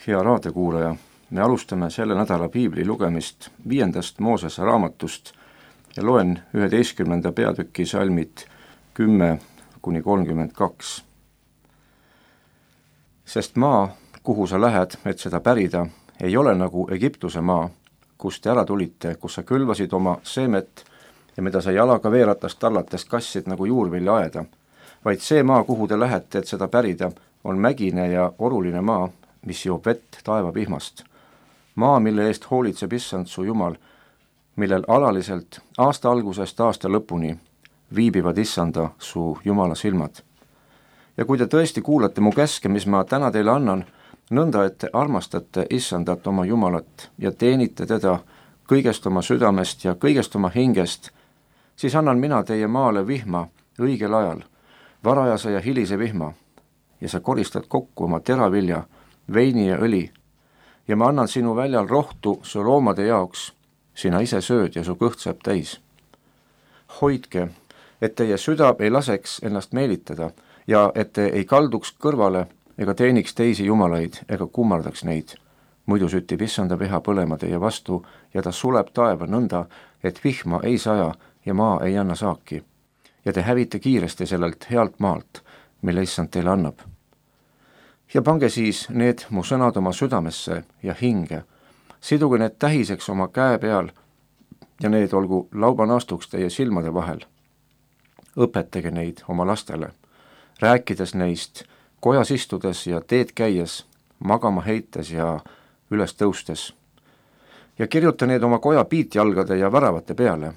Hea raadiokuulaja, me alustame selle nädala piibli lugemist 5. Moosese raamatust ja loen 11. peatüki salmid 10-32. Sest maa, kuhu sa lähed, et seda pärida, ei ole nagu Egiptuse maa, kust te ära tulite, kus sa külvasid oma seemet ja mida sa jalaga veeratast tallates kassid nagu juurvilja aeda, vaid see maa, kuhu te lähete, et seda pärida, on mägine ja oruline maa, mis joob vett taevavihmast. Maa, mille eest hoolitseb Issand su Jumal, millel alaliselt aasta algusest aasta lõpuni viibivad Issanda su Jumala silmad. Ja kui te tõesti kuulate mu käske, mis ma täna teile annan, nõnda, et te armastate Issandat oma Jumalat ja teenite teda kõigest oma südamest ja kõigest oma hingest, siis annan mina teie maale vihma õigel ajal, varajase ja hilise vihma, ja sa koristad kokku oma teravilja, veini ja õli, ja ma annan sinu väljal rohtu su loomade jaoks, sina ise sööd ja su kõht saab täis. Hoidke, et teie süda ei laseks ennast meelitada ja et te ei kalduks kõrvale ega teeniks teisi jumalaid ega kummardaks neid. Muidu süttib Issanda viha põlema teie vastu ja ta suleb taeva nõnda, et vihma ei saja ja maa ei anna saaki. Ja te hävite kiiresti sellelt healt maalt, mille Issand teile annab. Ja pange siis need mu sõnad oma südamesse ja hinge, siduge need tähiseks oma käe peal ja need olgu laubanaastuks teie silmade vahel. Õpetage neid oma lastele, rääkides neist kojas istudes ja teed käies, magama heites ja üles tõustes. Ja kirjuta need oma koja piitjalgade ja väravate peale,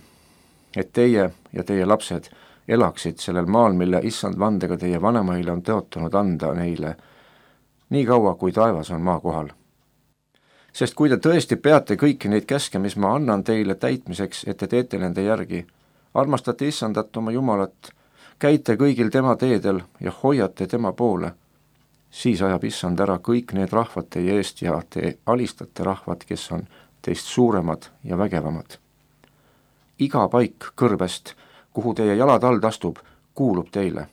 et teie ja teie lapsed elaksid sellel maal, mille Issand vandega teie vanemaile on tõotanud anda neile, nii kaua kui taevas on maa kohal. Sest kui te tõesti peate kõiki neid käske, mis ma annan teile täitmiseks, et te teete nende järgi, armastate Issandat oma Jumalat, käite kõigil tema teedel ja hoiate tema poole, siis ajab Issand ära kõik need rahvad teie eest ja te alistate rahvad, kes on teist suuremad ja vägevamad. Iga paik kõrbest, kuhu teie jalad all astub, kuulub teile.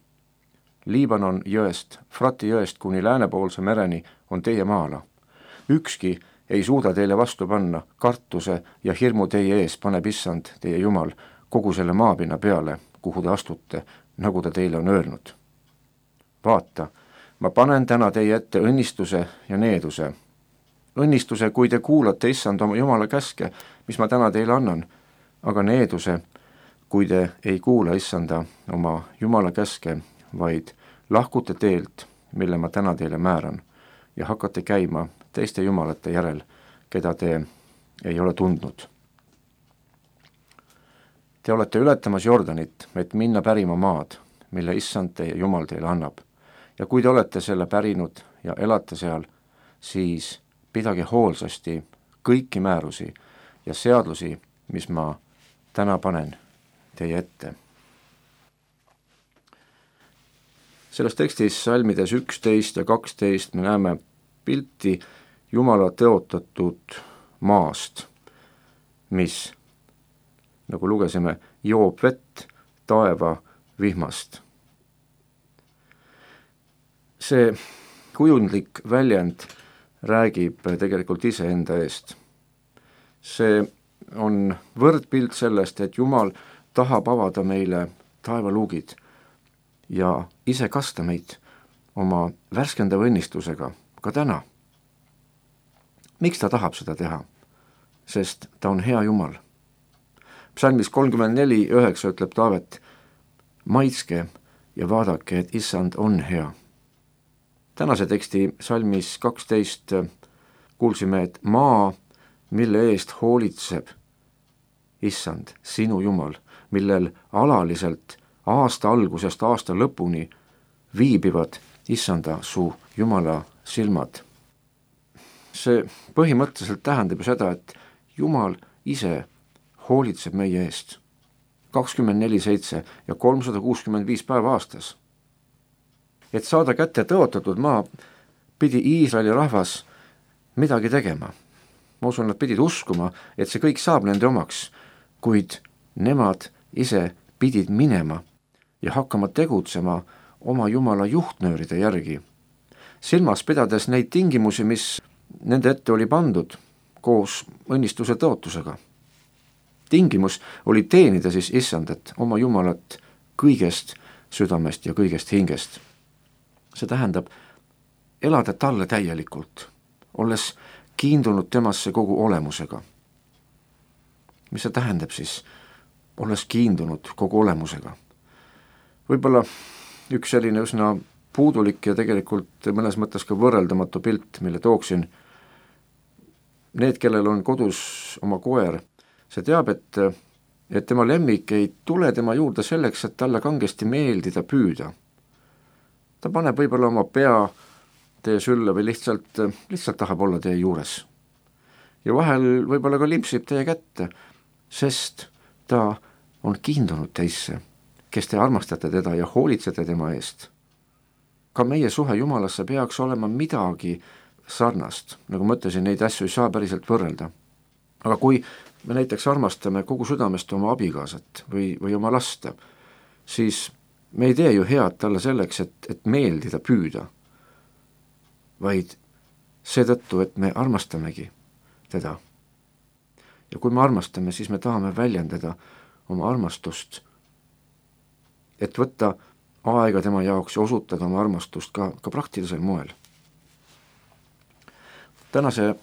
Liibanon jõest, Frati jõest kuni läänepoolse mereni on teie maala. Ükski ei suuda teile vastu panna, kartuse ja hirmu teie ees paneb Issand, teie Jumal, kogu selle maapinna peale, kuhu te astute, nagu ta teile on öelnud. Vaata, ma panen täna teie ette õnnistuse ja needuse. Õnnistuse, kui te kuulate Issand oma Jumala käske, mis ma täna teile annan, aga needuse, kui te ei kuula Issanda oma Jumala käske, vaid lahkute teelt, mille ma täna teile määran, ja hakkate käima teiste jumalate järel, keda te ei ole tundnud. Te olete ületamas Jordanit, et minna pärima maad, mille Issand teie Jumal teile annab. Ja kui te olete selle pärinud ja elate seal, siis pidage hoolsasti kõiki määrusi ja seadusi, mis ma täna panen teie ette. Selles tekstis salmides 11 ja 12 me näeme pilti Jumala tõotatud maast, mis, nagu lugesime, joob vett taeva vihmast. See kujundlik väljend räägib tegelikult iseenda eest. See on võrdpilt sellest, et Jumal tahab avada meile taevaluugid ja ise kasta meid oma värskendava õnnistusega ka täna. Miks ta tahab seda teha? Sest ta on hea Jumal. Psalmis 34:9 ütleb Taavet, maitske ja vaadake, et Issand on hea. Tänase teksti salmis 12 kuulsime, et maa, mille eest hoolitseb Issand, sinu Jumal, millel alaliselt aasta algusest aasta lõpuni viibivad Issanda su Jumala silmad. See põhimõtteliselt tähendab seda, et Jumal ise hoolitseb meie eest 24/7 ja 365 päeva aastas. Et saada kätte tõotatud maa, pidi Iisraeli rahvas midagi tegema. Ma usun, nad pidid uskuma, et see kõik saab nende omaks, kuid nemad ise pidid minema ja hakkama tegutsema oma Jumala juhtnööride järgi, silmas pidades neid tingimusi, mis nende ette oli pandud koos õnnistuse tõotusega. Tingimus oli teenida siis Issandat, oma Jumalat kõigest südamest ja kõigest hingest. See tähendab elada talle täielikult, olles kiindunud temasse kogu olemusega. Mis see tähendab siis, olles kiindunud kogu olemusega? Võib-olla üks selline üsna puudulik ja tegelikult mõnes mõttes ka võrreldamatu pilt, mille tooksin. Need, kellel on kodus oma koer, see teab, et tema lemmik ei tule tema juurde selleks, et talle kangesti meeldida püüda. Ta paneb võib-olla oma pea teie sülle või lihtsalt tahab olla teie juures. Ja vahel võib-olla ka limpsib teie kätte, sest ta on kiindunud teisse, kes te armastate teda ja hoolitsete tema eest. Ka meie suhe Jumalasse peaks olema midagi sarnast, nagu ma ütlesin, neid asju ei saa päriselt võrrelda. Aga kui me näiteks armastame kogu südamest oma abikaasat või oma lasta, siis me ei tee ju head talle selleks, et meeldida püüda, vaid seetõttu, et me armastamegi teda. Ja kui me armastame, siis me tahame väljendada oma armastust, et võtta aega tema jaoks ja osutada oma armastust ka praktilisel moel. Tänase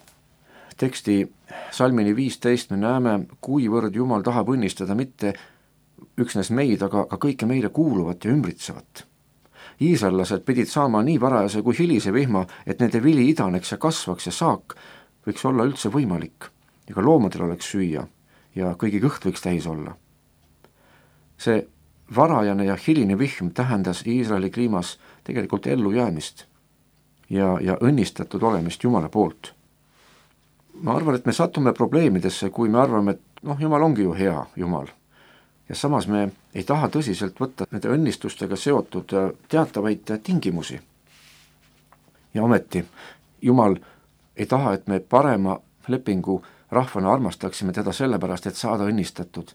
teksti salmini 15 me näeme, kuivõrd Jumal tahab õnnistada mitte üksnes meid, aga kõike meile kuuluvat ja ümbritsevat. Iisraellased pidid saama nii varajase kui hilise vihma, et nende vili idaneks ja kasvaks ja saak võiks olla üldse võimalik ja ka loomadel oleks süüa ja kõigi kõht võiks täis olla. See varajane ja hiline vihm tähendas Iisraeli kliimas tegelikult ellujäämist ja õnnistatud olemist Jumala poolt. Ma arvan, et me satume probleemidesse, kui me arvame, et Jumal ongi ju hea Jumal. Ja samas me ei taha tõsiselt võtta nende õnnistustega seotud teatavaid tingimusi. Ja ometi Jumal ei taha, et me parema lepingu rahvana armastaksime teda sellepärast, et saada õnnistatud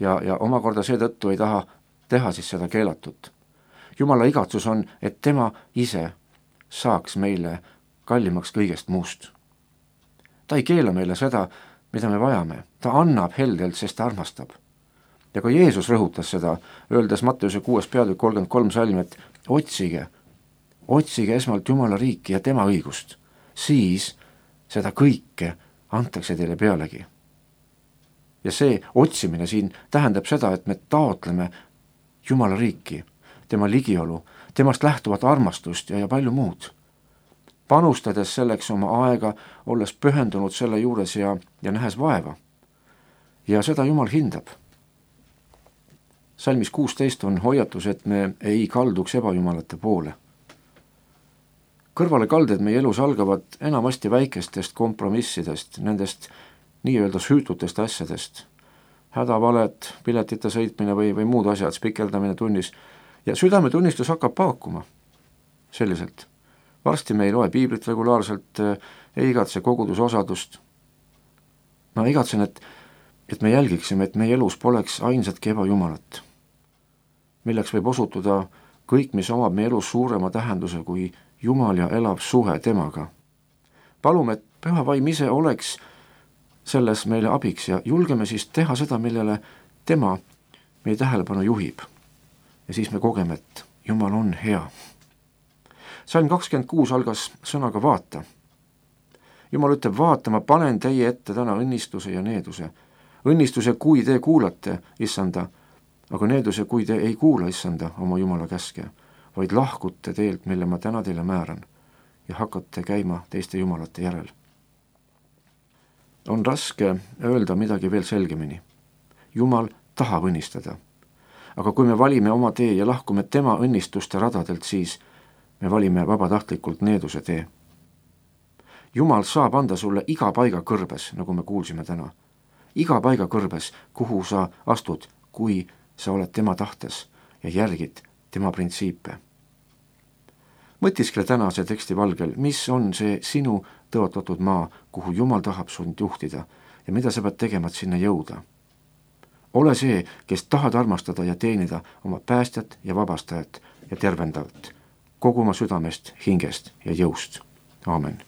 ja omakorda seetõttu ei taha teha siis seda keelatut. Jumala igatsus on, et tema ise saaks meile kallimaks kõigest muust. Ta ei keela meile seda, mida me vajame. Ta annab heldelt, sest ta armastab. Ja ka Jeesus rõhutas seda, öeldes Matteuse 6. peatükk 33 salm, et otsige esmalt Jumala riiki ja tema õigust. Siis seda kõike antakse teile pealegi. Ja see otsimine siin tähendab seda, et me taotleme Jumala riiki, tema ligiolu, temast lähtuvat armastust ja palju muud. Panustades selleks oma aega, olles pühendunud selle juures ja nähes vaeva. Ja seda Jumal hindab. Salmis 16 on hoiatus, et me ei kalduks ebajumalate poole. Kõrvalekalded meie elus algavad enamasti väikestest kompromissidest, nendest nii-öelda süütutest asjadest. Hädavaled, piletite sõitmine või muud asjad, spikeldamine tunnis. Ja südametunnistus hakkab paakuma selliselt. Varsti me ei loe piiblit regulaarselt, ei igatse kogudusosadust. Ma igatsen, et me jälgiksime, et meie elus poleks ainsatki ebajumalat, milleks võib osutuda kõik, mis omab meie elus suurema tähenduse kui Jumal ja elav suhe temaga. Palume, et Püha Vaim ise oleks selles meile abiks ja julgeme siis teha seda, millele tema meie tähelepanu juhib. Ja siis me kogeme, et Jumal on hea. Salm 26 algas sõnaga vaata. Jumal ütleb, vaata, ma panen teie ette täna õnnistuse ja needuse. Õnnistuse, kui te kuulate, Issanda, aga needuse, kui te ei kuula, Issanda, oma Jumala käske, vaid lahkute teelt, mille ma täna teile määran ja hakkate käima teiste jumalate järel. On raske öelda midagi veel selgemini. Jumal tahab õnnistada. Aga kui me valime oma tee ja lahkume tema õnnistuste radadelt, siis me valime vabatahtlikult needuse tee. Jumal saab anda sulle iga paiga kõrbes, nagu me kuulsime täna. Iga paiga kõrbes, kuhu sa astud, kui sa oled tema tahtes ja järgid tema printsiipe. Mõtiskle tänase teksti valgel, mis on see sinu tõotatud maa, kuhu Jumal tahab sind juhtida ja mida sa pead tegema, et sinna jõuda. Ole see, kes tahad armastada ja teenida oma päästjat ja vabastajat ja tervendajat kogu oma südamest, hingest ja jõust. Aamen.